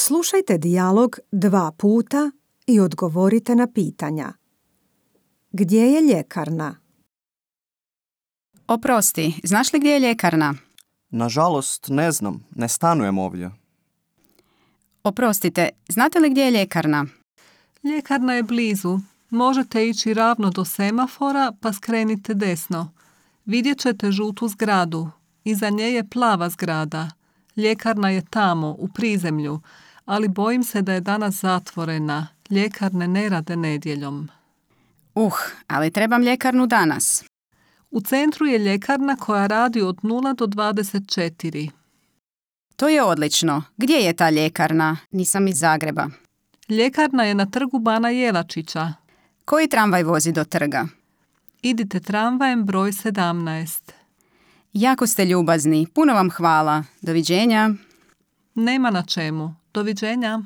Slušajte dijalog 2 puta i odgovorite na pitanja. Gdje je ljekarna? Oprosti, znaš li gdje je ljekarna? Nažalost, ne znam, ne stanujem ovdje. Oprostite, znate li gdje je ljekarna? Ljekarna je blizu. Možete ići ravno do semafora pa skrenite desno. Vidjet ćete žutu zgradu. Iza nje je plava zgrada. Ljekarna je tamo, u prizemlju, ali bojim se da je danas zatvorena. Ljekarne ne rade nedjeljom. Ali trebam ljekarnu danas. U centru je ljekarna koja radi od 0 do 24. To je odlično. Gdje je ta ljekarna? Nisam iz Zagreba. Ljekarna je na trgu Bana Jelačića. Koji tramvaj vozi do trga? Idite tramvajem broj 17. Jako ste ljubazni. Puno vam hvala. Doviđenja. Nema na čemu. Doviđenja.